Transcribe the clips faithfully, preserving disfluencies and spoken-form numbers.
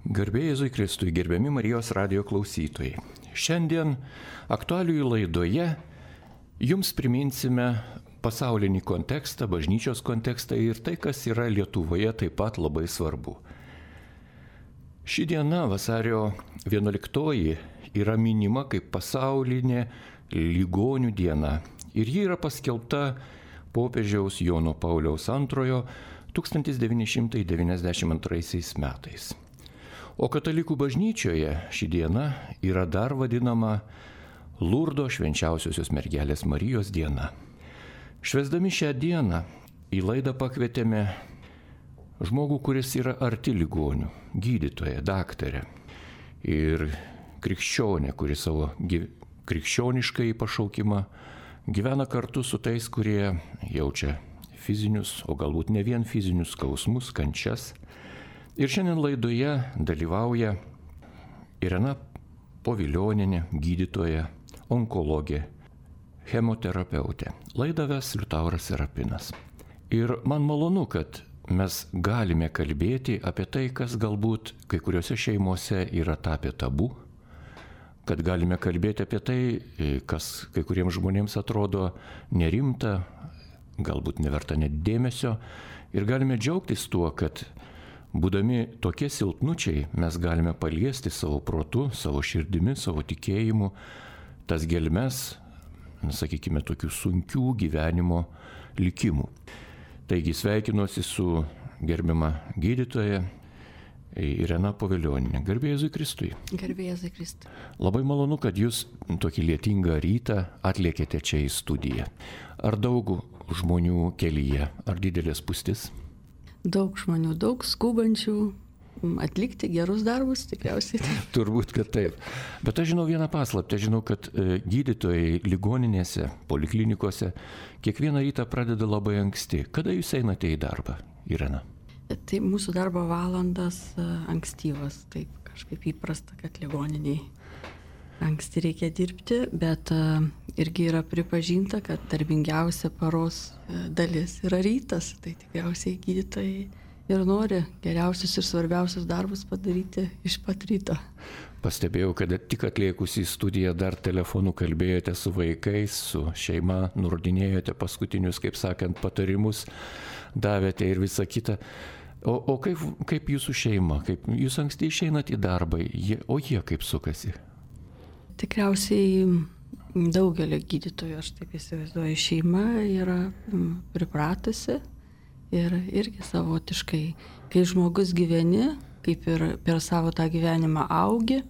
Garbė Jėzui Kristui, gerbiami Marijos radijo klausytojai. Šiandien aktualijų laidoje jums priminsime pasaulinį kontekstą, bažnyčios kontekstą ir tai, kas yra Lietuvoje taip pat labai svarbu. Ši diena, vasario vienuoliktoji, yra minima kaip pasaulinė ligonių diena ir ji yra paskelbta popiežiaus Jono Pauliaus antrojo tūkstantis devyni šimtai devyniasdešimt antraisiais metais. O katalikų bažnyčioje ši diena yra dar vadinama Lurdo švenčiausiosios mergelės Marijos diena. Švęsdami šią dieną į laidą pakvietėme žmogų, kuris yra arti ligonių, gydytoją, daktarę ir krikščionę, kuri savo gyv... krikščioniškai pašaukimą gyvena kartu su tais, kurie jaučia fizinius, o galbūt ne vien fizinius skausmus, kančias. Ir šiandien laidoje dalyvauja Irena Povilionienė, gydytoja, onkologė, chemoterapeutė. Laidą ves Liutauras Serapinas. Ir man malonu, kad mes galime kalbėti apie tai, kas galbūt kai kuriuose šeimose yra tapę tabu, kad galime kalbėti apie tai, kas kai kuriems žmonėms atrodo nerimta, galbūt neverta net dėmesio, ir galime džiaugtis tuo, kad būdami tokie silpnučiai mes galime paliesti savo protu, savo širdimi, savo tikėjimu tas gelmes, sakykime, tokių sunkių gyvenimo likimų. Taigi sveikinuosi su gerbiama gydytoja Irena Povilionienė. Garbė Jėzui Kristui. Garbė Jėzui Kristui. Labai malonu, kad jūs tokį lietingą rytą atlėkėte čia į studiją. Ar daug žmonių kelyje, ar didelė spūstis? Daug žmonių, daug skubančių atlikti gerus darbus, tikriausiai. Turbūt, kad taip. Bet aš žinau vieną paslaptį, žinau, kad gydytojai ligoninėse, poliklinikose kiekvieną rytą pradeda labai anksti. Kada jūs einate į darbą, Irena? Tai mūsų darbo valandas ankstyvas, taip kažkaip įprasta, kad ligoniniai anksti reikia dirbti, bet irgi yra pripažinta, kad darbingiausia paros dalis yra rytas, tai tikriausiai gydytojai ir nori geriausius ir svarbiausius darbus padaryti iš pat ryto. Pastebėjau, kad tik atliekus į studiją dar telefonu kalbėjote su vaikais, su šeima, nurodinėjote paskutinius, kaip sakant, patarimus, davėte ir visą kitą. O, o kaip, kaip jūsų šeima, kaip jūs anksti išeinat į darbą, jie, o jie kaip sukasi? Tikriausiai daugelio gydytojų, aš taip įsivaizduoju, šeima yra pripratusi ir irgi savotiškai, kai žmogus gyveni, kaip ir per savo tą gyvenimą augi,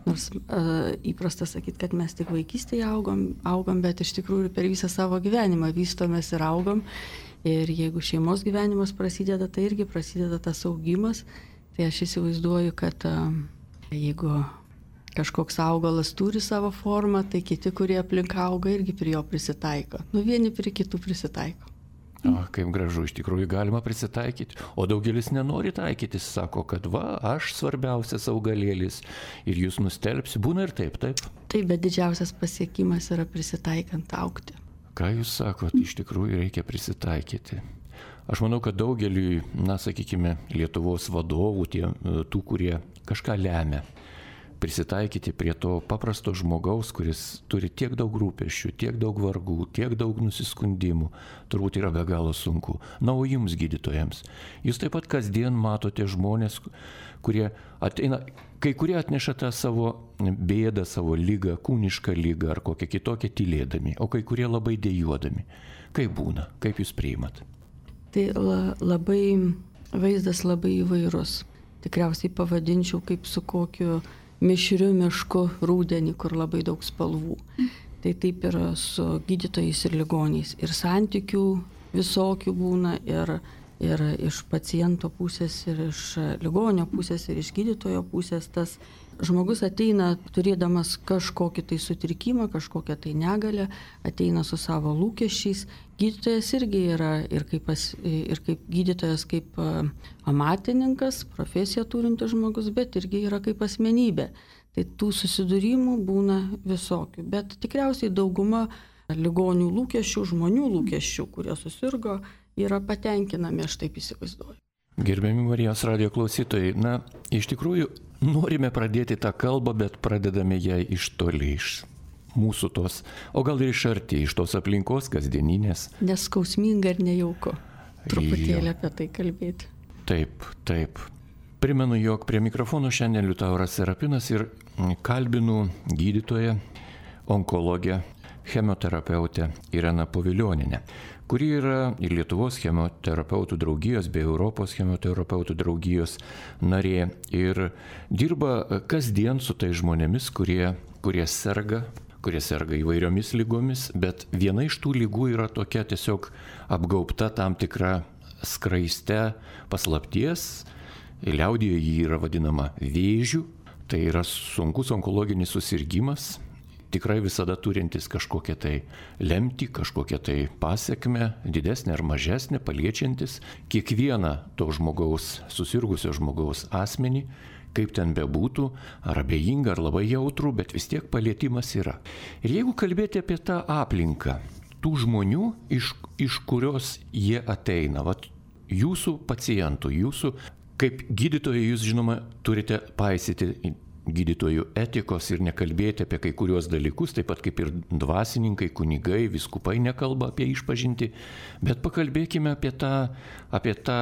nors uh, įprasta sakyti, kad mes tik vaikystėje augom, augom, bet iš tikrųjų per visą savo gyvenimą vystomės ir augom. Ir jeigu šeimos gyvenimas prasideda, tai irgi prasideda tas augimas. Tai aš įsivaizduoju, kad uh, jeigu kažkoks augalas turi savo formą, tai kiti, kurie aplink auga, irgi prie jo prisitaiko. Nu, vieni prie kitų prisitaiko. O, kaip gražu, iš tikrųjų galima prisitaikyti. O daugelis nenori taikytis, sako, kad va, aš svarbiausias augalėlis ir jūs nustelbsi. Būna ir taip, taip? Taip, bet didžiausias pasiekimas yra prisitaikant augti. Ką jūs sakot, iš tikrųjų reikia prisitaikyti. Aš manau, kad daugeliui, na, sakykime, Lietuvos vadovų, tie, tų, kurie kažką lemia, prisitaikyti prie to paprasto žmogaus, kuris turi tiek daug rūpesčių, tiek daug vargų, tiek daug nusiskundimų, turbūt yra be galo sunku. Na, o jums, gydytojams, jūs taip pat kasdien matote žmonės, kurie ateina, kai kurie atneša tą savo bėdą, savo lygą, kūnišką lygą ar kokią kitokią tylėdami, o kai kurie labai dejuodami. Kaip būna, kaip jūs priimat? Tai la, labai, vaizdas labai įvairus. Tikriausiai pavadinčiau kaip su kokiu mišriu mišku rūdienį, kur labai daug spalvų. Tai taip yra su gydytojais ir ligoniais. Ir santykių visokių būna, ir, ir iš paciento pusės, ir iš ligonio pusės, ir iš gydytojo pusės. Tas žmogus ateina turėdamas kažkokį tai sutrikimą, kažkokią tai negalę, ateina su savo lūkesčiais. Gydytojas irgi yra ir kaip, pas, ir kaip gydytojas, kaip amatininkas, profesiją turintis žmogus, bet irgi yra kaip asmenybė. Tai tų susidūrimų būna visokių, bet tikriausiai dauguma ligonių lūkesčių, žmonių lūkesčių, kurie susirgo, yra patenkinami, aš taip įsivaizduoju. Gerbiami Marijos radijo klausytojai, na, iš tikrųjų norime pradėti tą kalbą, bet pradedame ją iš toli, iš mūsų tos, o gal ir iš arti, iš tos aplinkos kasdieninės. Neskausminga ir nejauku truputėlį apie tai kalbėti. Taip, taip. Primenu, jog prie mikrofono šiandien Liutauras Serapinas ir kalbinu gydytoją, onkologę, chemoterapeutę Ireną Povilionienę, kuri yra ir Lietuvos chemoterapeutų draugijos bei Europos chemoterapeutų draugijos narė ir dirba kasdien su tai žmonėmis, kurie, kurie serga, kurie serga įvairiomis lygomis, bet viena iš tų lygų yra tokia tiesiog apgaubta tam tikra skraiste paslapties, liaudyje jį yra vadinama vėžiu, tai yra sunkus onkologinis susirgymas, tikrai visada turintis kažkokią tai lemtį, kažkokią tai pasiekmę, didesnę ar mažesnę, paliečiantis kiekvieną to žmogaus, susirgusio žmogaus asmenį, kaip ten bebūtų, ar abejinga, ar labai jautrų, bet vis tiek palietimas yra. Ir jeigu kalbėti apie tą aplinką, tų žmonių, iš, iš kurios jie ateina, vat, jūsų pacientų, jūsų, kaip gydytojai, jūs žinoma, turite paisyti gydytojų etikos ir nekalbėti apie kai kuriuos dalykus, taip pat kaip ir dvasininkai, kunigai, vyskupai nekalba apie išpažintį, bet pakalbėkime apie tą, apie tą,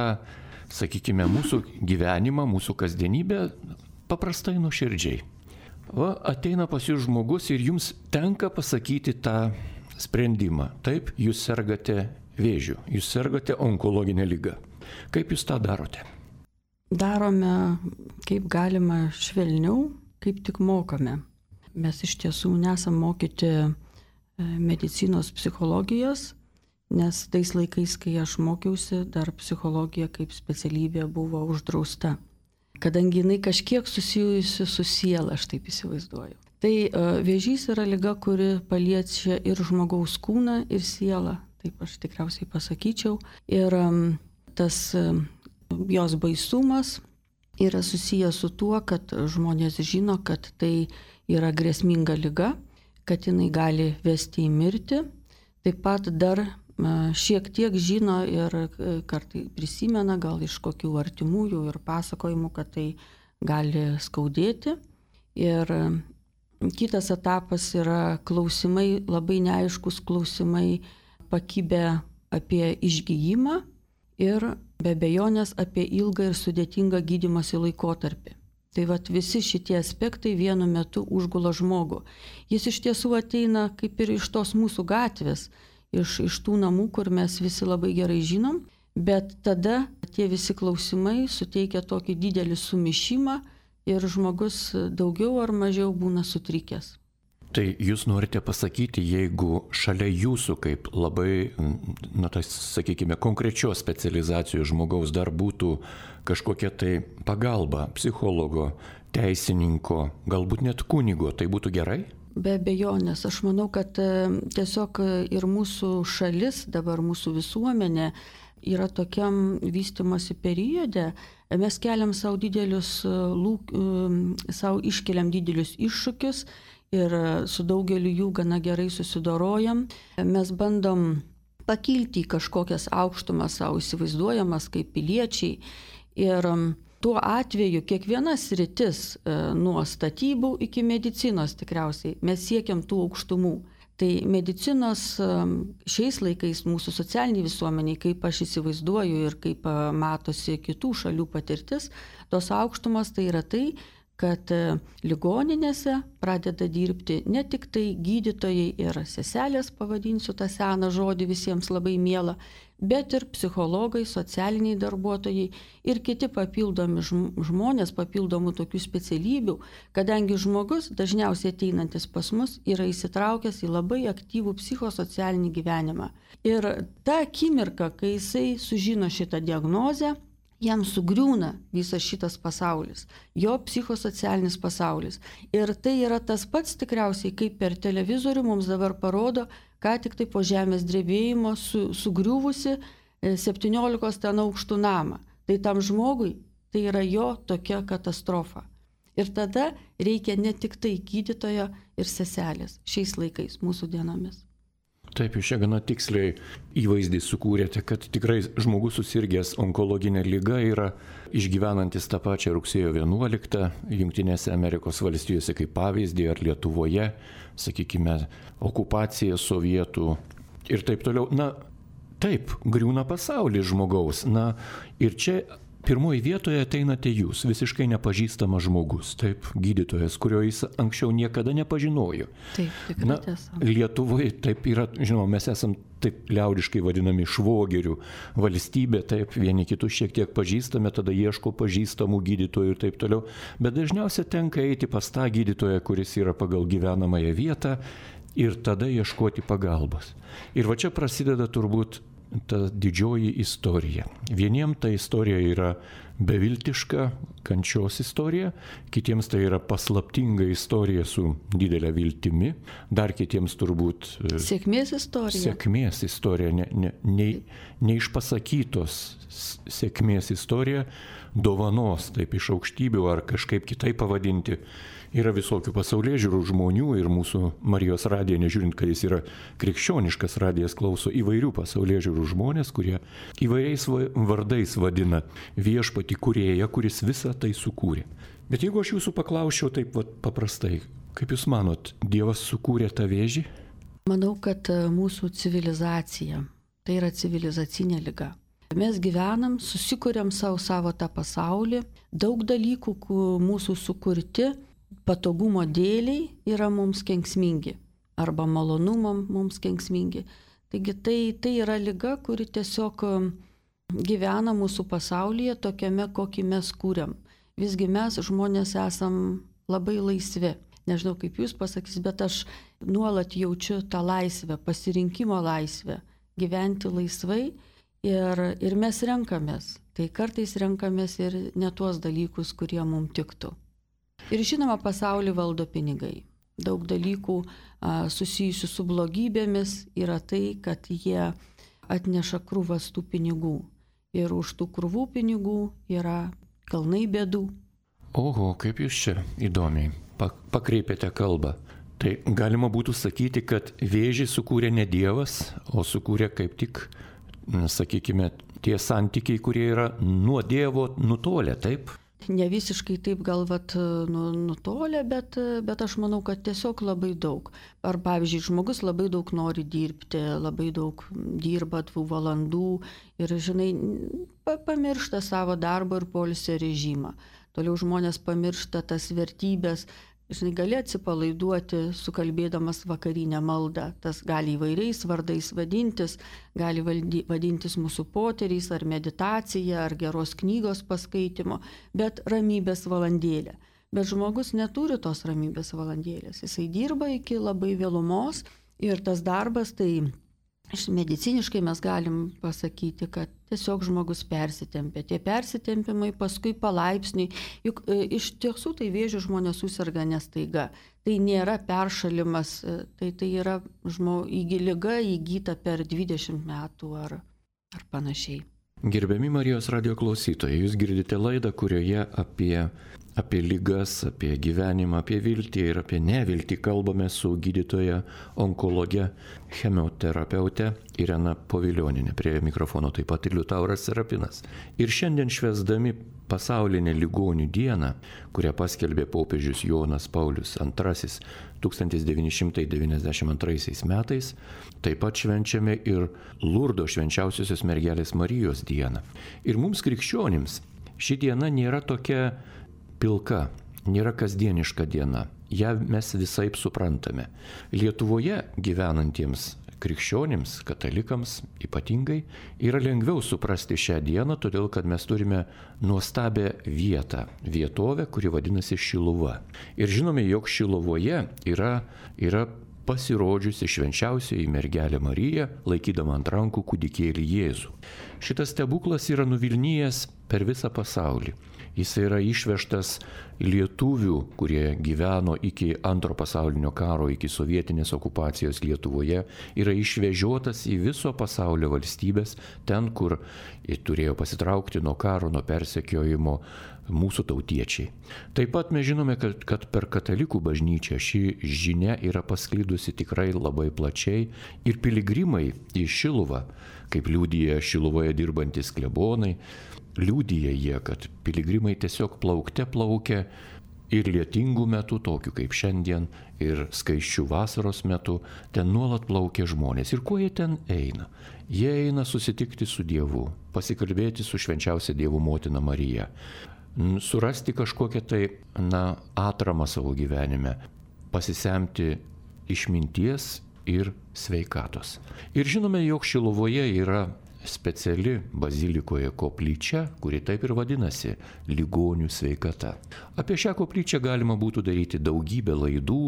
sakykime, mūsų gyvenimą, mūsų kasdienybę paprastai nuoširdžiai. Va, ateina pas jūs žmogus ir jums tenka pasakyti tą sprendimą. Taip, jūs sergate vėžiu, jūs sergate onkologinę ligą. Kaip jūs tą darote? Darome kaip galima švelniau, kaip tik mokame. Mes iš tiesų nesam mokyti medicinos psichologijos, nes tais laikais, kai aš mokiausi, dar psichologija kaip specialybė buvo uždrausta. Kadangi jinai kažkiek susijusi su siela, aš taip įsivaizduoju. Tai vėžys yra liga, kuri paliečia ir žmogaus kūną, ir sielą, taip aš tikriausiai pasakyčiau. Ir tas jos baisumas yra susijęs su tuo, kad žmonės žino, kad tai yra grėsminga liga, kad jinai gali vesti į mirtį. Taip pat dar šiek tiek žino ir kartai prisimena gal iš kokių artimųjų ir pasakojimų, kad tai gali skaudėti. Ir kitas etapas yra klausimai, labai neaiškus klausimai pakibę apie išgijimą ir be abejonės apie ilgą ir sudėtingą gydymosi laikotarpį. Tai vat visi šitie aspektai vienu metu užgula žmogų. Jis iš tiesų ateina kaip ir iš tos mūsų gatvės, iš, iš tų namų, kur mes visi labai gerai žinom, bet tada tie visi klausimai suteikia tokį didelį sumišimą ir žmogus daugiau ar mažiau būna sutrikęs. Tai jūs norite pasakyti, jeigu šalia jūsų kaip labai, na tai sakykime, konkrečios specializacijos žmogaus dar būtų kažkokia tai pagalba psichologo, teisininko, galbūt net kunigo, tai būtų gerai? Be abejonės, aš manau, kad tiesiog ir mūsų šalis, dabar mūsų visuomenė yra tokiam vystimosi periode, mes keliam savo didelius lūk, savo iškeliam didelius iššūkius, ir su daugeliu jų gana gerai susidorojam. Mes bandom pakilti į kažkokias aukštumas savo įsivaizduojamas kaip piliečiai. Ir tuo atveju kiekviena sritis, nuo statybų iki medicinos tikriausiai, mes siekiam tų aukštumų. Tai medicinos šiais laikais mūsų socialiniai visuomeniai, kaip aš įsivaizduoju ir kaip matosi kitų šalių patirtis, tos aukštumas tai yra tai, kad ligoninėse pradeda dirbti ne tik tai gydytojai ir seselės, pavadinsiu tą seną žodį visiems labai mielą, bet ir psichologai, socialiniai darbuotojai ir kiti papildomi žmonės, papildomų tokių specialybių, kadangi žmogus, dažniausiai ateinantis pas mus, yra įsitraukęs į labai aktyvų psichosocialinį gyvenimą. Ir ta akimirka, kai jisai sužino šitą diagnozę, jam sugriūna visas šitas pasaulis, jo psichosocialinis pasaulis. Ir tai yra tas pats tikriausiai, kaip per televizorių mums dabar parodo, ką tik tai po žemės drebėjimo su, sugriuvusi septyniolikos ten aukštų namą. Tai tam žmogui tai yra jo tokia katastrofa. Ir tada reikia ne tik tai gydytojo ir seselės šiais laikais, mūsų dienomis. Taip, jūs čia gana tiksliai įvaizdį sukūrėte, kad tikrai žmogus susirgęs onkologinę ligą yra išgyvenantis tą pačią rugsėjo vienuoliktą Jungtinėse Amerikos valstijose kaip pavyzdį, ar Lietuvoje, sakykime, okupacija sovietų ir taip toliau. Na, taip, griūna pasaulis žmogaus. Na, ir čia pirmoji vietoje ateinate jūs, visiškai nepažįstamas žmogus, taip, gydytojas, kurio jis anksčiau niekada nepažinojo. Taip, tikrai tiesa. Lietuvoje taip yra, žinoma, mes esam taip liaudiškai vadinami švogerių valstybė, taip, vieni kitus šiek tiek pažįstame, tada ieško pažįstamų gydytojų ir taip toliau, bet dažniausiai tenka eiti pas tą gydytoją, kuris yra pagal gyvenamąją vietą ir tada ieškoti pagalbos. Ir va čia prasideda turbūt ta didžioji istorija. Vieniems ta istorija yra beviltiška, kančios istorija, kitiems tai yra paslaptinga istorija su didelė viltimi, dar kitiems turbūt sėkmės istorija. Sėkmės istorija, ne, ne, ne, neišpasakytos sėkmės istorija, dovanos, taip iš aukštybių ar kažkaip kitaip pavadinti. Yra visokių pasaulėžiūrų žmonių ir mūsų Marijos radiją, nežiūrint, kad jis yra krikščioniškas radijas, klauso įvairių pasaulėžiūrų žmonės, kurie įvairiais vardais vadina viešpatį kūrėją, kuris visą tai sukūrė. Bet jeigu aš jūsų paklausčiau taip vat, paprastai, kaip jūs manot, Dievas sukūrė tą vėžį? Manau, kad mūsų civilizacija, tai yra civilizacinė liga. Mes gyvenam, susikuriam savo, savo tą pasaulį, daug dalykų mūsų sukurti patogumo dėliai yra mums kenksmingi arba malonumam mums kenksmingi. Taigi tai, tai yra liga, kuri tiesiog gyvena mūsų pasaulyje tokiame, kokį mes kūriam. Visgi mes žmonės esam labai laisvi. Nežinau, kaip jūs pasakys, bet aš nuolat jaučiu tą laisvę, pasirinkimo laisvę, gyventi laisvai ir, ir mes renkamės. Tai kartais renkamės ir ne tuos dalykus, kurie mums tiktų. Ir žinoma, pasaulį valdo pinigai. Daug dalykų a, susijusių su blogybėmis yra tai, kad jie atneša krūvas tų pinigų. Ir už tų krūvų pinigų yra kalnai bėdų. Oho, kaip jūs čia įdomiai pakreipėte kalbą. Tai galima būtų sakyti, kad vėžį sukūrė ne Dievas, o sukūrė kaip tik, sakykime, tie santykiai, kurie yra nuo Dievo nutolę, taip? Ne visiškai taip galvat nu, nutolę, bet, bet aš manau, kad tiesiog labai daug. Ar pavyzdžiui, žmogus labai daug nori dirbti, labai daug dirba tų valandų ir, žinai, pamiršta savo darbo ir poilsio režimą. Toliau žmonės pamiršta tas vertybės. Žinai, gali atsipalaiduoti, sukalbėdamas vakarinę maldą. Tas gali įvairiais vardais vadintis, gali valdy, vadintis mūsų poteriais, ar meditacija, ar geros knygos paskaitimo, bet ramybės valandėlė. Bet žmogus neturi tos ramybės valandėlės. Jisai dirba iki labai vėlumos ir tas darbas, tai mediciniškai mes galim pasakyti, kad tiesiog žmogus persitempia. Tie persitempimai paskui palaipsniui, juk e, iš tiesų tai vėžių žmonės susirga nestaiga. Tai nėra peršalimas, tai, tai yra žmo, įgy, liga įgyta per dvidešimt metų ar, ar panašiai. Gerbiami Marijos radijo klausytojai, jūs girdite laidą, kurioje apie, apie ligas, apie gyvenimą, apie viltį ir apie neviltį kalbame su gydytoja onkologe, chemioterapeute Irena Povilioninė. Prie mikrofono taip pat ir Liutauras Serapinas. Ir šiandien švęsdami pasaulinę ligonių dieną, kurią paskelbė popiežius Jonas Paulius antrasis tūkstantis devyni šimtai devyniasdešimt antraisiais metais, taip pat švenčiame ir Lurdo švenčiausiosios mergelės Marijos dieną. Ir mums krikščionims ši diena nėra tokia pilka, nėra kasdieniška diena. Ja mes visaip suprantame. Lietuvoje gyvenantiems krikščionims, katalikams ypatingai, yra lengviau suprasti šią dieną, todėl kad mes turime nuostabią vietą, vietovę, kuri vadinasi Šiluva. Ir žinome, jog Šiluvoje yra, yra pasirodžiusi švenčiausioji mergelė Marija, laikydama ant rankų kūdikėlį Jėzų. Šitas stebuklas yra nuvilnijęs per visą pasaulį. Jis yra išvežtas lietuvių, kurie gyveno iki antro pasaulinio karo, iki sovietinės okupacijos Lietuvoje, yra išvežiotas į viso pasaulio valstybės, ten, kur turėjo pasitraukti nuo karo, nuo persekiojimo mūsų tautiečiai. Taip pat mes žinome, kad, kad per katalikų bažnyčią ši žinia yra pasklidusi tikrai labai plačiai ir piligrimai į Šiluvą, kaip liudija Šiluvoje dirbantis klebonai, liudija jie, kad piligrimai tiesiog plaukte plaukia ir lietingų metų, tokių kaip šiandien, ir skaisčių vasaros metu, ten nuolat plaukia žmonės. Ir kuo jie ten eina? Jie eina susitikti su Dievu, pasikalbėti su švenčiausia Dievo motina Marija, surasti kažkokią tai, na, atramą savo gyvenime, pasisemti išminties ir sveikatos. Ir žinome, jog Šiluvoje yra speciali bazilikoje koplyčia, kuri taip ir vadinasi – ligonių sveikata. Apie šią koplyčią galima būtų daryti daugybę laidų,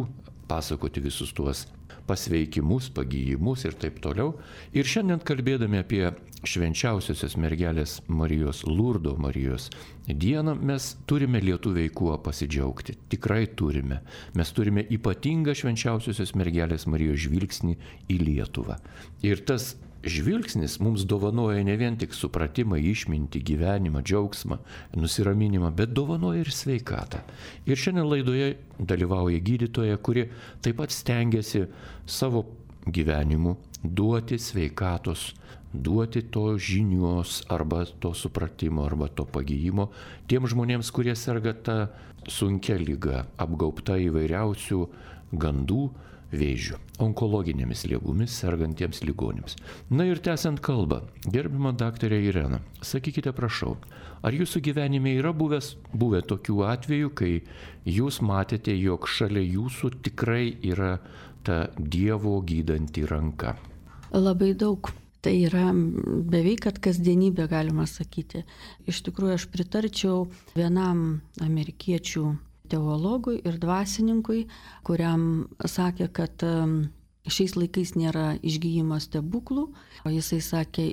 pasakoti visus tuos pasveikimus, pagyjimus ir taip toliau. Ir šiandien kalbėdami apie švenčiausiosios mergelės Marijos, Lurdo Marijos dieną, mes turime lietuviai kuo pasidžiaugti. Tikrai turime. Mes turime ypatingą švenčiausiosios mergelės Marijos žvilgsnį į Lietuvą. Ir tas žvilgsnis mums dovanoja ne vien tik supratimą, išmintį, gyvenimą, džiaugsmą, nusiraminimą, bet dovanoja ir sveikatą. Ir šiandien laidoje dalyvauja gydytoja, kuri taip pat stengiasi savo gyvenimu duoti sveikatos, duoti to žinios arba to supratimo arba to pagyjimo tiem žmonėms, kurie serga tą sunkia liga, apgaubta įvairiausių gandų, vėžių, onkologinėmis ligomis sergantiems ligoniams. Na ir tęsiant kalbą, gerbima daktarė Irena, sakykite prašau, ar jūsų gyvenime yra buvęs, buvę tokių atvejų, kai jūs matėte, jog šalia jūsų tikrai yra ta Dievo gydanti ranka? Labai daug. Tai yra beveik kad kasdienybė, galima sakyti. Iš tikrųjų, aš pritarčiau vienam amerikiečių teologui ir dvasininkui, kuriam sakė, kad šiais laikais nėra išgyjimo stebuklų, o jisai sakė,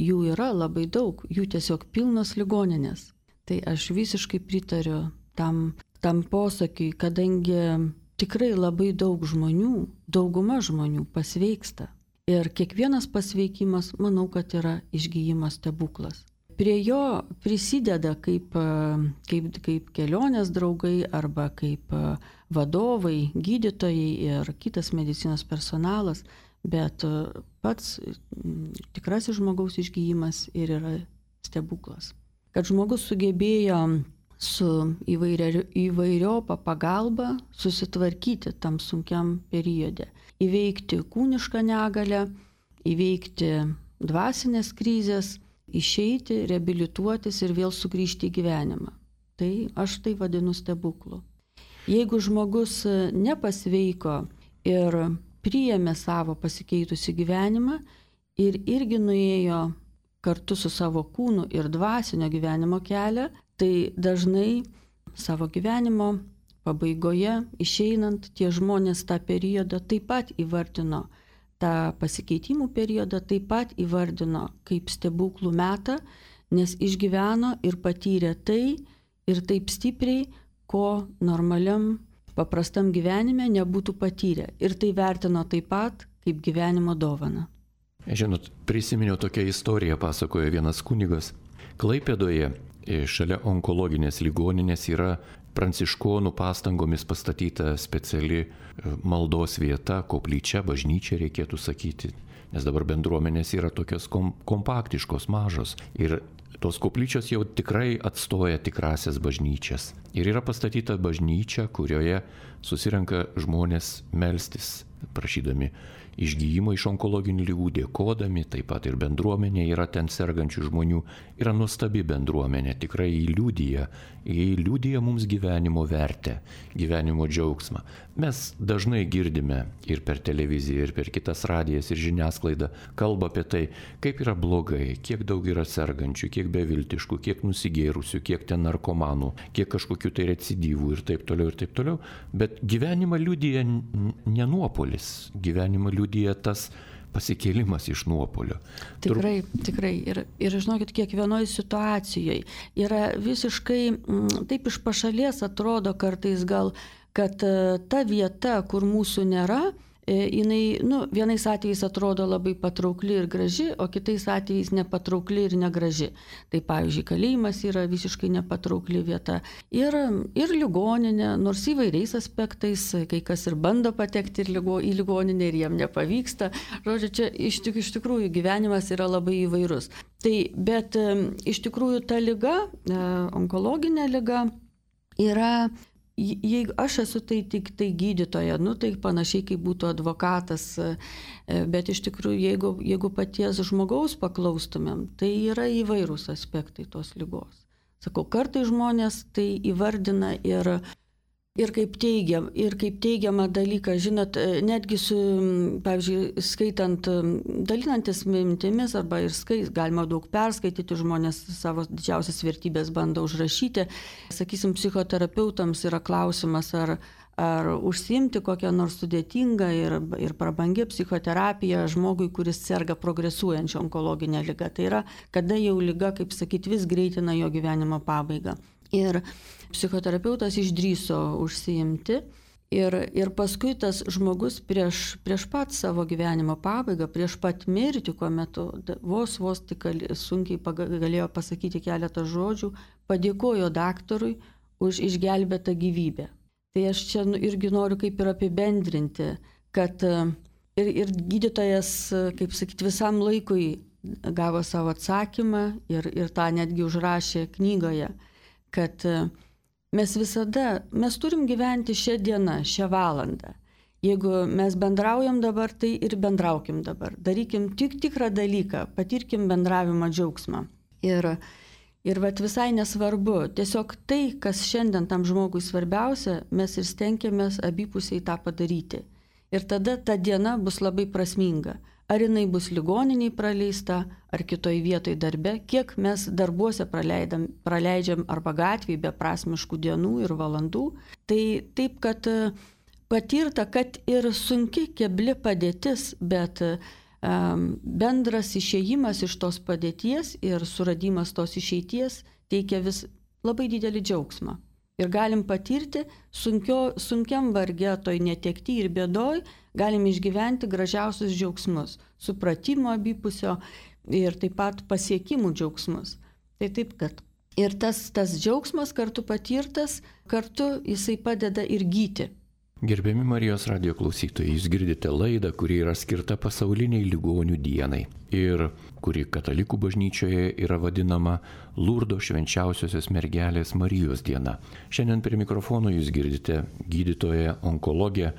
jų yra labai daug, jų tiesiog pilnos ligoninės. Tai aš visiškai pritariu tam, tam posakiui, kadangi tikrai labai daug žmonių, dauguma žmonių pasveiksta. Ir kiekvienas pasveikimas, manau, kad yra išgyjimo stebuklas. Prie jo prisideda kaip, kaip, kaip kelionės draugai arba kaip vadovai, gydytojai ir kitas medicinos personalas, bet pats tikrasis žmogaus išgyjimas ir yra stebuklas. Kad žmogus sugebėjo su įvairia, įvairiopą pagalbą susitvarkyti tam sunkiam periode, įveikti kūnišką negalę, įveikti dvasinės krizės, išeiti, reabilituotis ir vėl sugrįžti į gyvenimą. Tai aš tai vadinu stebuklu. Jeigu žmogus nepasveiko ir priėmė savo pasikeitusi gyvenimą ir irgi nuėjo kartu su savo kūnu ir dvasinio gyvenimo kelią, tai dažnai savo gyvenimo pabaigoje išeinant tie žmonės tą periodą taip pat įvardino, tą pasikeitimų periodą taip pat įvardino kaip stebuklų metą, nes išgyveno ir patyrė tai ir taip stipriai, ko normaliam, paprastam gyvenime nebūtų patyrę. Ir tai vertino taip pat kaip gyvenimo dovaną. Žinot, prisiminiau tokią istoriją, pasakojo vienas kunigas. Klaipėdoje šalia onkologinės ligoninės yra pranciškonų pastangomis pastatyta speciali maldos vieta, koplyčia, bažnyčia reikėtų sakyti, nes dabar bendruomenės yra tokios kom- kompaktiškos, mažos ir tos koplyčios jau tikrai atstoja tikrasias bažnyčias. Ir yra pastatyta bažnyčia, kurioje susirenka žmonės melstis, prašydami išgyjimo iš onkologinių ligų, dėkodami, taip pat ir bendruomenė yra ten sergančių žmonių, yra nuostabi bendruomenė, tikrai įliudija, įliudija mums gyvenimo vertę, gyvenimo džiaugsmą. Mes dažnai girdime ir per televiziją, ir per kitas radijas, ir žiniasklaidą kalba apie tai, kaip yra blogai, kiek daug yra sergančių, kiek beviltiškų, kiek nusigėrusių, kiek ten narkomanų, kiek kažkokių tai recidyvų ir taip toliau, ir taip toliau. Bet gyvenimą liudija ne nuopolis, gyvenimą liudija tas pasikėlimas iš nuopolio. Tikrai, Tur... tikrai. Ir, ir žinokit, kiekvienoje situacijoje yra visiškai, m, taip iš pašalies atrodo kartais gal, kad ta vieta, kur mūsų nėra, jinai, nu, vienais atvejais atrodo labai patraukli ir graži, o kitais atvejais nepatraukli ir negraži. Tai pavyzdžiui, kalėjimas yra visiškai nepatraukli vieta. Ir, ir ligoninė, nors įvairiais aspektais, kai kas ir bando patekti ir ligo, į ligoninę ir jiem nepavyksta. Žodžiu, čia iš, tik, iš tikrųjų gyvenimas yra labai įvairus. Tai, bet iš tikrųjų ta liga, onkologinė liga, yra... Jeigu aš esu tai tik tai gydytoja, nu tai panašiai kaip būtų advokatas, bet iš tikrųjų, jeigu, jeigu paties žmogaus paklaustumėm, tai yra įvairūs aspektai tos ligos. Sakau, kartai žmonės tai įvardina ir, ir, kaip teigiam, ir kaip teigiamą dalyką, žinot, netgi su, pavyzdžiui, skaitant, dalinantis mintimis arba ir skait, galima daug perskaityti, žmonės savo didžiausias vertybės bando užrašyti. Sakysim, psichoterapeutams yra klausimas, ar, ar užsiimti kokią nors sudėtingą ir, ir prabangią psichoterapiją žmogui, kuris serga progresuojančią onkologinę ligą. Tai yra, kada jau liga, kaip sakyti, vis greitina jo gyvenimo pabaigą. Ir psichoterapeutas išdrįso užsiimti ir, ir paskui tas žmogus prieš, prieš pat savo gyvenimo pabaigą, prieš pat mirtį, kuomet vos vos tik sunkiai galėjo pasakyti keletą žodžių, padėkojo daktarui už išgelbėtą gyvybę. Tai aš čia irgi noriu kaip ir apibendrinti, kad ir, ir gydytojas, kaip sakyti, visam laikui gavo savo atsakymą ir, ir tą netgi užrašė knygoje, kad mes visada, mes turim gyventi šią dieną, šią valandą. Jeigu mes bendraujam dabar, tai ir bendraukim dabar. Darykim tik tikrą dalyką, patirkim bendravimo džiaugsmą. Ir, ir vat visai nesvarbu, tiesiog tai, kas šiandien tam žmogui svarbiausia, mes ir stengiamės abipusiai tą padaryti. Ir tada ta diena bus labai prasminga. Ar jinai bus ligoniniai praleista, ar kitoj vietoj darbe, kiek mes darbuose praleidžiam arba gatvėje beprasmiškų dienų ir valandų. Tai taip, kad patirta, kad ir sunki kebli padėtis, bet um, bendras išėjimas iš tos padėties ir suradimas tos išeities teikia vis labai didelį džiaugsmą. Ir galim patirti sunkio, sunkiam varge, toj netekti ir bėdoj, galim išgyventi gražiausius džiaugsmus, supratimo abipusio ir taip pat pasiekimų džiaugsmus. Tai taip, kad ir tas, tas džiaugsmas kartu patirtas, kartu jisai padeda ir gyti. Gerbiami Marijos radijo klausytojai, jūs girdite laidą, kuri yra skirta pasauliniai ligonių dienai ir kuri katalikų bažnyčioje yra vadinama Lurdo švenčiausiosios mergelės Marijos diena. Šiandien prie mikrofono jūs girdite gydytoją onkologę,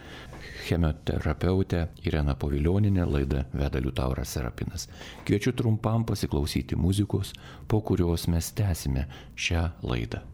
chemoterapeutę Ireną Povilionienę, laidą veda Liutauras Serapinas. Kviečiu trumpam pasiklausyti muzikos, po kurios mes tęsime šią laidą.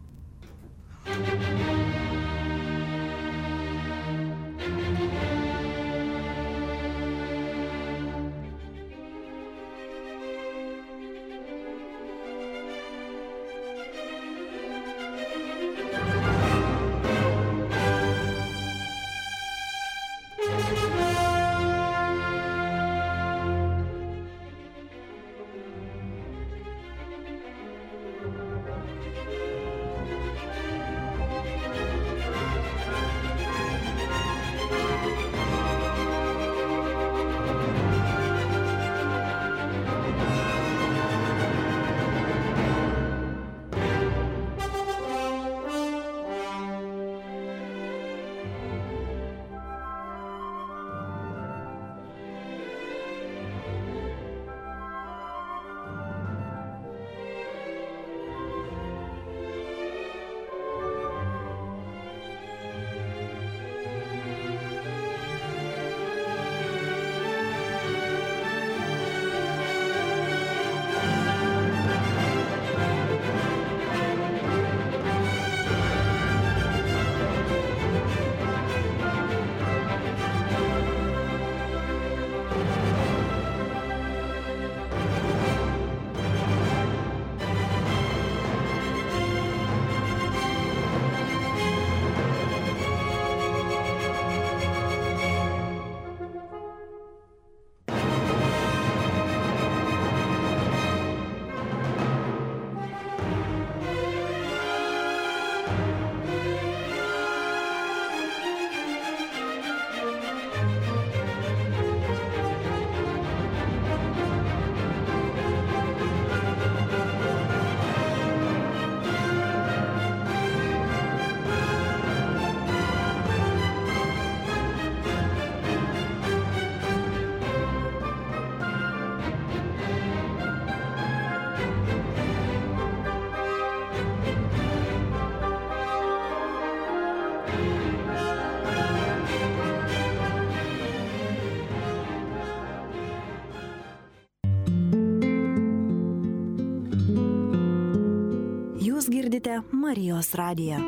klausėte Marijos radiją.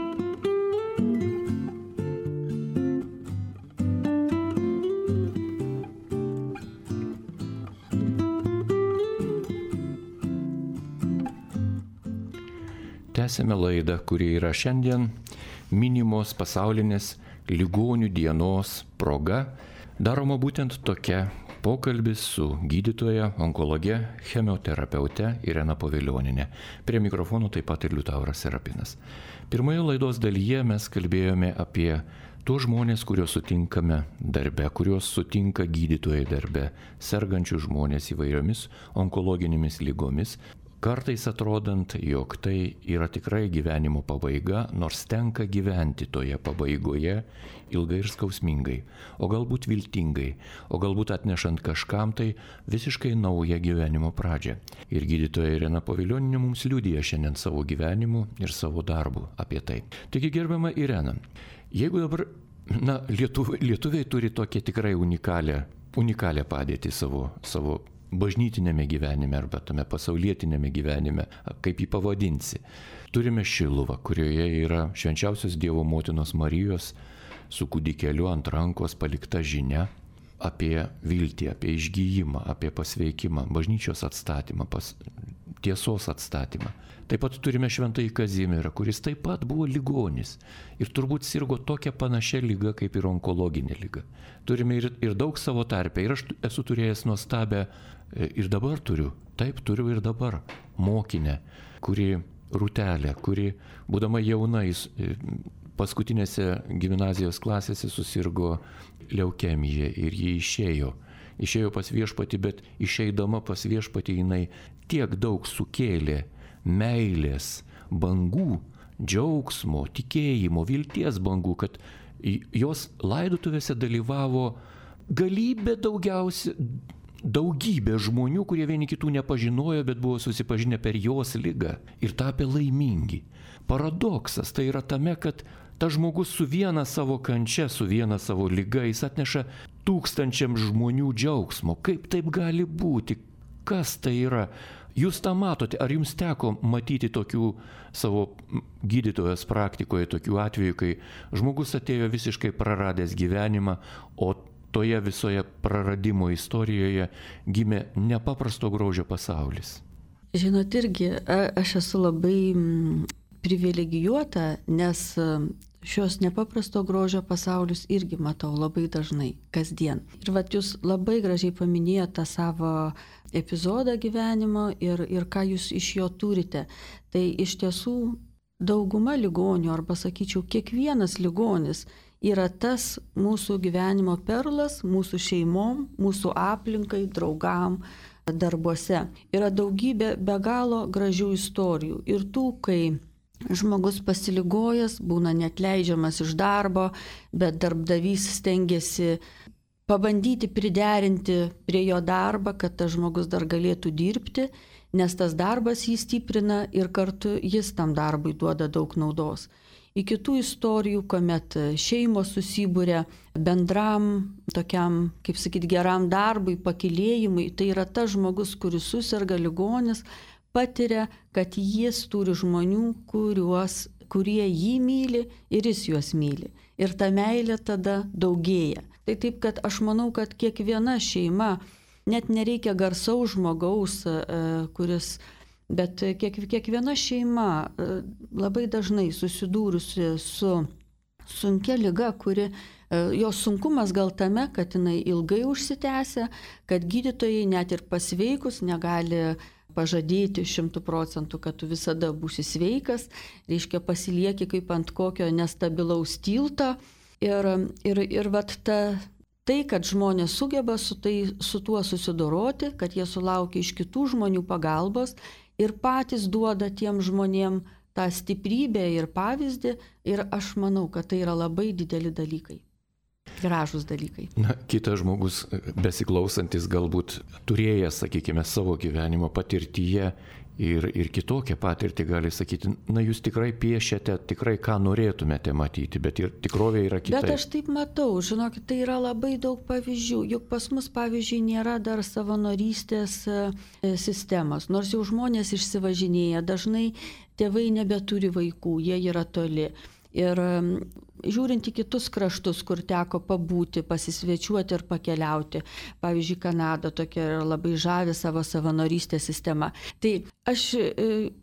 Tęsime laidą, kuri yra šiandien minimos pasaulinės ligonių dienos proga. Daroma būtent tokia pokalbis su gydytoja, onkologe, chemioterapeute Irena Povilionienė. Prie mikrofono taip pat ir Liutauras Serapinas. Pirmoje laidos dalyje mes kalbėjome apie tuos žmonės, kuriuos sutinkame darbe, kuriuos sutinka gydytojai darbe, sergančių žmonės įvairiomis onkologinėmis lygomis. Kartais atrodant, jog tai yra tikrai gyvenimo pabaiga, nors tenka gyventi toje pabaigoje ilgai ir skausmingai, o galbūt viltingai, o galbūt atnešant kažkam tai visiškai naują gyvenimo pradžią. Ir gydytoja Irena Povilionienė mums liudija šiandien savo gyvenimu ir savo darbu apie tai. Taigi, gerbiama Irena, jeigu dabar, na, lietuviai, lietuviai turi tokią tikrai unikalią, unikalią padėtį savo, savo bažnytinėme gyvenime arba tame pasaulietinėme gyvenime, kaip jį pavadinsi. Turime Šiluvą, kurioje yra švenčiausios Dievo motinos Marijos su kūdikeliu ant rankos palikta žinia apie viltį, apie išgyjimą, apie pasveikimą, bažnyčios atstatymą, pas, tiesos atstatymą. Taip pat turime Šventąjį Kazimierą, kuris taip pat buvo ligonis ir turbūt sirgo tokia panašia lyga kaip ir onkologinė lyga. Turime ir, ir daug savo tarpe. Ir aš esu turėjęs nuostabę, ir dabar turiu, taip turiu ir dabar, mokinę, kuri Rūtelė, kuri, būdama jauna, paskutinėse gimnazijos klasėse susirgo leukemija ir ji išėjo. Išėjo pas viešpatį, bet išeidama pas viešpatį jinai tiek daug sukėlė meilės bangų, džiaugsmo, tikėjimo, vilties bangų, kad jos laidotuvėse dalyvavo galybė daugiausia, daugybė žmonių, kurie vieni kitų nepažinojo, bet buvo susipažinę per jos ligą ir tapę laimingi. Paradoksas tai yra tame, kad tas žmogus su viena savo kančia, su viena savo liga, jis atneša tūkstančiam žmonių džiaugsmo. Kaip taip gali būti? Kas tai yra? Jūs tą matote, ar jums teko matyti tokių savo gydytojos praktikoje, tokių atvejų, kai žmogus atėjo visiškai praradęs gyvenimą, o toje visoje praradimo istorijoje gimė nepaprasto grožio pasaulis? Žinot, irgi aš esu labai privilegijuota, nes šios nepaprasto grožio pasaulius irgi matau labai dažnai, kasdien. Ir vat jūs labai gražiai paminėjote tą savo epizodą gyvenimo ir, ir ką jūs iš jo turite. Tai iš tiesų dauguma ligonių, arba sakyčiau, kiekvienas ligonis yra tas mūsų gyvenimo perlas, mūsų šeimom, mūsų aplinkai, draugam, darbuose. Yra daugybė be galo gražių istorijų. Ir tų, kai žmogus pasiligojęs, būna neatleidžiamas iš darbo, bet darbdavys stengiasi pabandyti priderinti prie jo darbą, kad tas žmogus dar galėtų dirbti, nes tas darbas jį stiprina ir kartu jis tam darbui duoda daug naudos. Į kitų istorijų, kuomet šeimos susibūrė bendram, tokiam, kaip sakyti, geram darbui, pakylėjimui, tai yra tas žmogus, kuris susirga, ligonis, patiria, kad jis turi žmonių, kuriuos, kurie jį myli ir jis juos myli. Ir ta meilė tada daugėja. Tai taip, kad aš manau, kad kiekviena šeima, net nereikia garsaus žmogaus, kuris, bet kiek, kiekviena šeima labai dažnai susidūrusi su sunkia liga, kuri, jos sunkumas gal tame, kad jinai ilgai užsitęsia, kad gydytojai net ir pasveikus negali pažadėti šimtų procentų, kad tu visada būsi sveikas, reiškia pasilieki kaip ant kokio nestabilaus tilto. Ir, ir, ir vat ta, tai, kad žmonės sugeba su, tai, su tuo susidoroti, kad jie sulaukia iš kitų žmonių pagalbos ir patys duoda tiem žmonėm tą stiprybę ir pavyzdį. Ir aš manau, kad tai yra labai dideli dalykai. Gražus dalykai. Na, kitas žmogus, besiklausantis, galbūt turėjęs, sakykime, savo gyvenimo patirtyje ir, ir kitokią patirtį gali sakyti, na jūs tikrai piešiate, tikrai ką norėtumėte matyti, bet ir tikrovė yra kitaip. Bet aš taip matau, žinokit, tai yra labai daug pavyzdžių, juk pas mus pavyzdžiui nėra dar savanorystės sistemos, nors jau žmonės išsivažinėja, dažnai tėvai nebeturi vaikų, jie yra toli. Ir žiūrint į kitus kraštus, kur teko pabūti, pasisvečiuoti ir pakeliauti, pavyzdžiui, Kanada tokia yra labai žavi savo savanorystės sistema. Tai aš,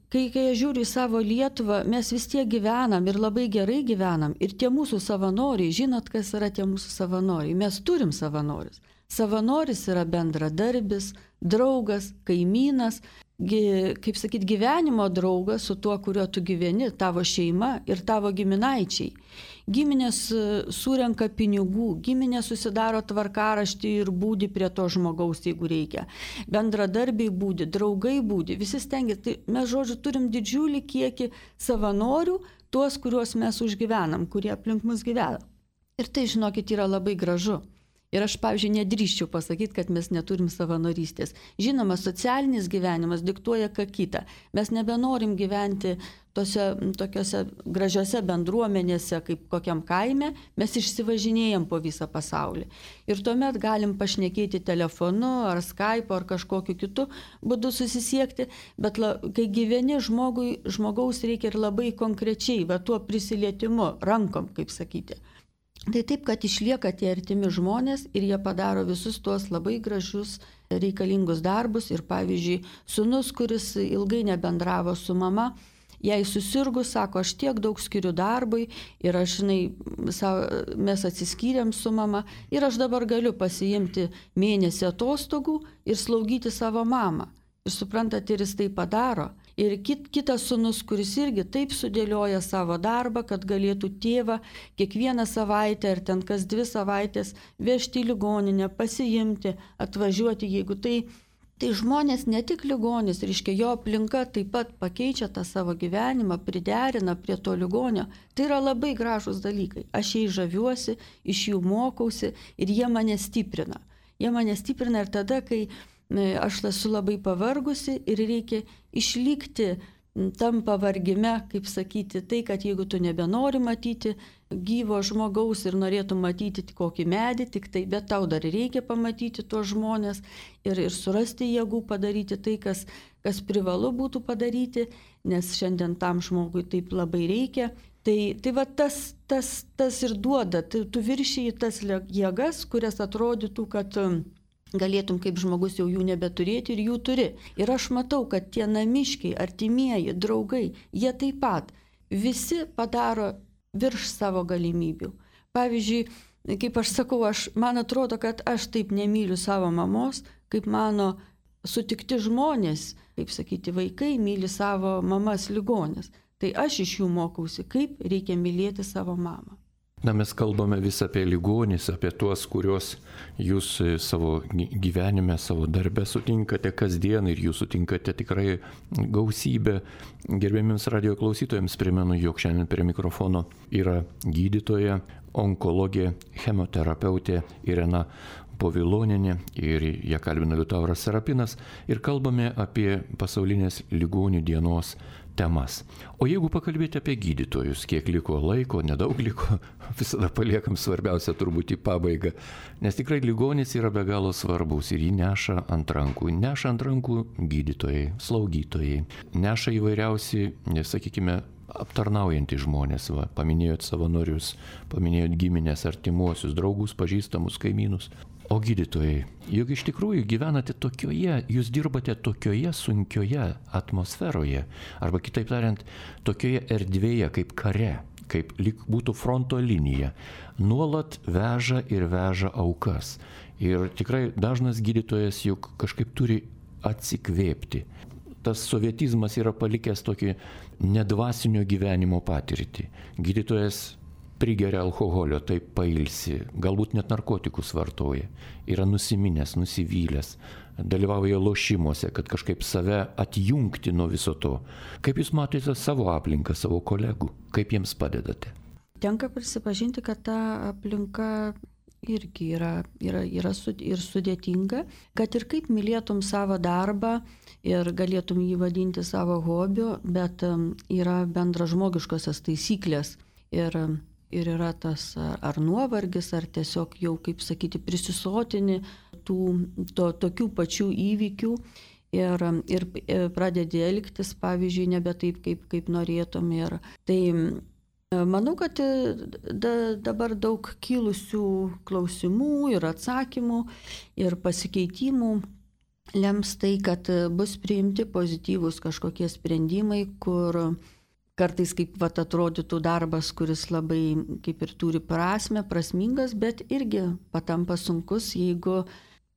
kai, kai aš žiūriu į savo Lietuvą, mes vis tiek gyvenam ir labai gerai gyvenam. Ir tie mūsų savanoriai, žinot, kas yra tie mūsų savanoriai? Mes turim savanorius. Savanoris yra bendradarbis, draugas, kaimynas, kaip sakyt, gyvenimo draugas su tuo, kuriuo tu gyveni, tavo šeima ir tavo giminaičiai. Giminės surenka pinigų, giminės susidaro tvarkaraštį ir būdi prie to žmogaus, jeigu reikia. Bendradarbiai būdi, draugai būdi, visi stengiasi. Tai mes, žodžiu, turim didžiulį kiekį savanorių, tuos, kuriuos mes užgyvenam, kurie aplink mus gyvena. Ir tai, žinokit, yra labai gražu. Ir aš, pavyzdžiui, nedrįščiau pasakyti, kad mes neturim savanorystės. Žinoma, socialinis gyvenimas diktuoja ką kitą. Mes nebenorim gyventi tose, tokiose gražiose bendruomenėse, kaip kokiam kaime, mes išsivažinėjom po visą pasaulį. Ir tuomet galim pašnekėti telefonu, ar Skype, ar kažkokiu kitu būdu susisiekti, bet la, kai gyveni žmogui, žmogaus reikia ir labai konkrečiai, va tuo prisilietimu, rankom, kaip sakyti. Tai taip, kad išlieka tie artimi žmonės ir jie padaro visus tuos labai gražius reikalingus darbus. Ir pavyzdžiui, sūnus, kuris ilgai nebendravo su mama, jai susirgus, sako, aš tiek daug skiriu darbui ir aš, žinai, mes atsiskyrėm su mama ir aš dabar galiu pasiimti mėnesį atostogų ir slaugyti savo mamą. Ir suprantat, ir jis tai padaro. Ir kit, kitas sūnus, kuris irgi taip sudėlioja savo darbą, kad galėtų tėvą kiekvieną savaitę ar ten kas dvi savaitės vežti į ligoninę, pasiimti, atvažiuoti, jeigu tai, tai žmonės ne tik ligonis, reiškia jo aplinka taip pat pakeičia tą savo gyvenimą, priderina prie to ligonio. Tai yra labai gražūs dalykai. Aš jais žaviuosi, iš jų mokausi ir jie mane stiprina. Jie mane stiprina ir tada, kai aš esu labai pavargusi ir reikia išlikti tam pavargime, kaip sakyti, tai, kad jeigu tu nebenori matyti gyvo žmogaus ir norėtum matyti kokį medį, tik tai, bet tau dar reikia pamatyti tuos žmonės ir, ir surasti jėgų padaryti tai, kas, kas privalu būtų padaryti, nes šiandien tam žmogui taip labai reikia. Tai, tai va tas, tas, tas ir duoda, tai tu viršiji tas jėgas, kurias atrodytų, kad galėtum kaip žmogus jau jų nebeturėti ir jų turi. Ir aš matau, kad tie namiškiai, artimieji, draugai, jie taip pat visi padaro virš savo galimybių. Pavyzdžiui, kaip aš sakau, aš, man atrodo, kad aš taip nemyliu savo mamos, kaip mano sutikti žmonės, kaip sakyti, vaikai myli savo mamas ligonės. Tai aš iš jų mokausi, kaip reikia mylėti savo mamą. Na, mes kalbame vis apie ligonis, apie tuos, kuriuos jūs savo gyvenime, savo darbe sutinkate kasdien ir jūs sutinkate tikrai gausybę. Gerbėmiems radio klausytojams primenu, jog šiandien prie mikrofono yra gydytoja, onkologė, chemoterapeutė Irena Povilonienė ir ją kalbina Liutauras Serapinas ir kalbame apie pasaulinės ligonių dienos temas. O jeigu pakalbėti apie gydytojus, kiek liko laiko, nedaug liko, visada paliekam svarbiausia turbūt į pabaigą, nes tikrai ligonis yra be galo svarbus ir jį neša ant rankų. Neša ant rankų gydytojai, slaugytojai, neša įvairiausi, sakykime, aptarnaujantys žmonės, va, paminėjot savanorius, paminėjot giminės, artimuosius, draugus, pažįstamus, kaimynus. O gydytojai, juk iš tikrųjų gyvenate tokioje, jūs dirbate tokioje sunkioje atmosferoje, arba kitaip tariant, tokioje erdvėje kaip kare, kaip lyg būtų fronto linija, nuolat veža ir veža aukas. Ir tikrai dažnas gydytojas juk kažkaip turi atsikvėpti. Tas sovietizmas yra palikęs tokį nedvasinio gyvenimo patirtį. Gydytojas prigeria alkoholio, taip pailsi, galbūt net narkotikus vartoja, yra nusiminęs, nusivylęs, dalyvauja lošimuose, kad kažkaip save atjungti nuo viso to. Kaip jūs matote savo aplinką, savo kolegų, kaip jiems padedate? Tenka prisipažinti, kad ta aplinka irgi yra, yra, yra su, ir sudėtinga, kad ir kaip mylėtum savo darbą ir galėtum jį vadinti savo hobiu, bet yra bendražmogiškosios taisyklės ir, ir yra tas ar nuovargis, ar tiesiog jau, kaip sakyti, prisisotini tų to, tokių pačių įvykių. Ir, ir pradedi elgtis, pavyzdžiui, nebe taip, kaip, kaip norėtum. Ir tai manau, kad da, dabar daug kilusių klausimų ir atsakymų ir pasikeitimų lems tai, kad bus priimti pozityvūs kažkokie sprendimai, kur kartais kaip vat, atrodytų darbas, kuris labai kaip ir turi prasmę, prasmingas, bet irgi patampa sunkus, jeigu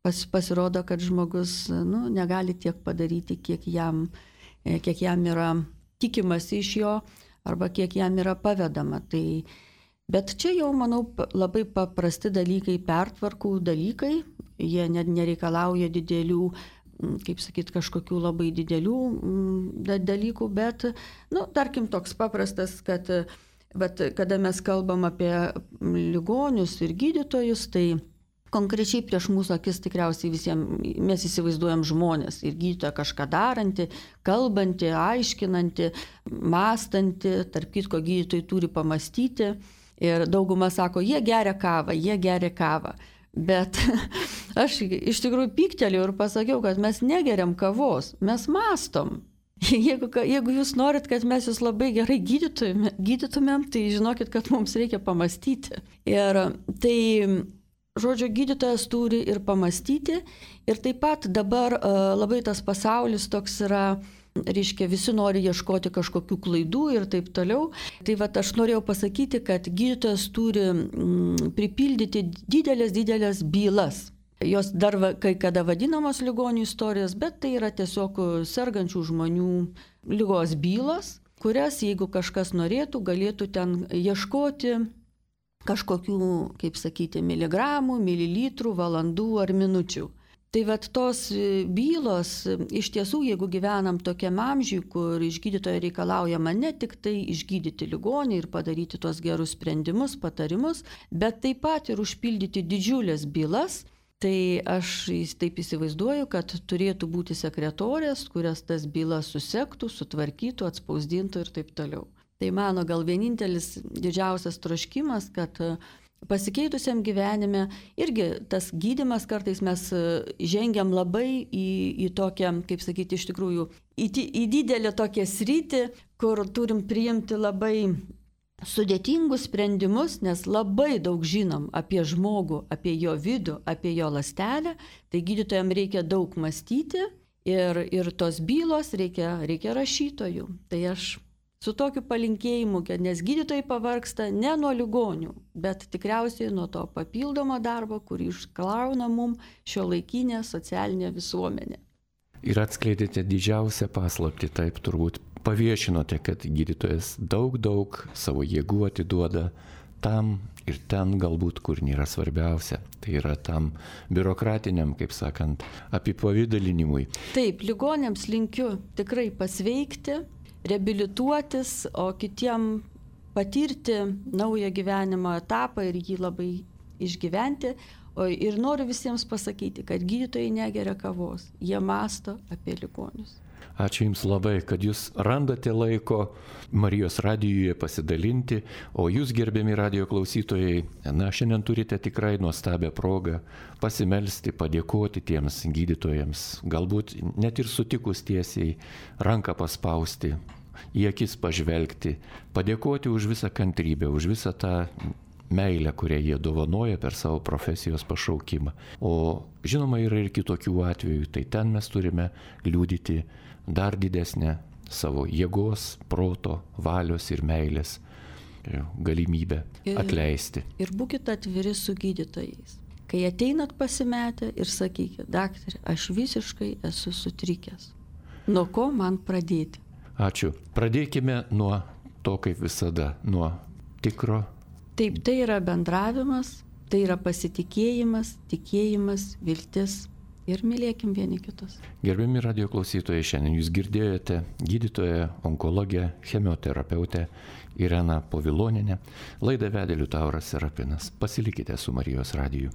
Pas, pasirodo, kad žmogus nu, negali tiek padaryti, kiek jam, kiek jam yra tikimasi iš jo arba kiek jam yra pavedama. Tai, bet čia jau, manau, labai paprasti dalykai, pertvarkų dalykai, jie net nereikalauja didelių, kaip sakyt, kažkokių labai didelių dalykų, bet, nu, tarkim, toks paprastas, kad bet, kada mes kalbam apie ligonius ir gydytojus, tai konkrečiai prieš mūsų akis tikriausiai visiems mes įsivaizduojam žmonės ir gydytoją kažką darantį, kalbantį, aiškinantį, mąstantį, tarp kitko gydytojai turi pamastyti ir dauguma sako, jie geria kavą, jie geria kavą. Bet aš iš tikrųjų pyktelėjau ir pasakiau, kad mes negeriam kavos, mes mastom. Jeigu, jeigu jūs norit, kad mes jūs labai gerai gydytumėm, tai žinokit, kad mums reikia pamastyti. Ir tai žodžio, gydytojas turi ir pamastyti ir taip pat dabar labai tas pasaulis toks yra, reiškia, visi nori ieškoti kažkokių klaidų ir taip toliau. Tai va, aš norėjau pasakyti, kad gydytojas turi mm, pripildyti didelės, didelės bylas. Jos dar kai kada vadinamos ligonių istorijos, bet tai yra tiesiog sergančių žmonių ligos bylos, kurias, jeigu kažkas norėtų, galėtų ten ieškoti kažkokių, kaip sakyti, miligramų, mililitrų, valandų ar minučių. Tai vat tos bylos, iš tiesų, jeigu gyvenam tokiam amžiui, kur iš gydytojo reikalaujama ne tik tai išgydyti ligonį ir padaryti tos gerus sprendimus, patarimus, bet taip pat ir užpildyti didžiulės bylas, tai aš taip įsivaizduoju, kad turėtų būti sekretorės, kurias tas bylas susektų, sutvarkytų, atspausdintų ir taip toliau. Tai mano gal vienintelis didžiausias troškimas, kad pasikeitusiam gyvenime irgi tas gydymas kartais mes žengiam labai į, į tokią, kaip sakyti, iš tikrųjų, į, į didelę tokią sritį, kur turim priimti labai sudėtingus sprendimus, nes labai daug žinom apie žmogų, apie jo vidų, apie jo ląstelę, tai gydytojams reikia daug mąstyti ir, ir tos bylos reikia, reikia rašytojų. Tai aš su tokiu palinkėjimu, kad nes gydytojai pavargsta ne nuo ligonių, bet tikriausiai nuo to papildomo darbo, kurį iškrauna mums šiuolaikinė socialinė visuomenė. Ir atskleidėte didžiausią paslaptį, taip turbūt paviešinote, kad gydytojas daug, daug savo jėgų atiduoda tam ir ten galbūt, kur nėra svarbiausia. Tai yra tam biurokratiniam, kaip sakant, apipavydalinimui. Taip, ligonėms linkiu tikrai pasveikti, reabilituotis, o kitiem patirti naują gyvenimo etapą ir jį labai išgyventi. O ir noriu visiems pasakyti, kad gydytojai negeria kavos, jie mąsto apie ligonius. Ačiū Jums labai, kad Jūs randate laiko Marijos radijuje pasidalinti, o Jūs, gerbiami radijo klausytojai, na, šiandien turite tikrai nuostabią progą pasimelsti, padėkoti tiems gydytojams, galbūt net ir sutikus tiesiai ranką paspausti, į akis pažvelgti, padėkoti už visą kantrybę, už visą tą meilę, kurią jie dovanoja per savo profesijos pašaukimą. O žinoma, yra ir kitokių atvejų, tai ten mes turime liudyti dar didesnę savo jėgos, proto, valios ir meilės galimybę atleisti. Ir, ir būkite atviri su gydytojais. Kai ateinat pasimetę ir sakykit, daktarė, aš visiškai esu sutrikęs. Nuo ko man pradėti? Ačiū. Pradėkime nuo to, kaip visada, nuo tikro. Taip, tai yra bendravimas, tai yra pasitikėjimas, tikėjimas, viltis ir mylėkim vieni kitus. Gerbiami radio klausytojai, šiandien jūs girdėjote gydytoją, onkologę, chemioterapeutę Ireną Povilonienę. Laidą vedė Liutauras Serapinas. Pasilikite su Marijos radiju.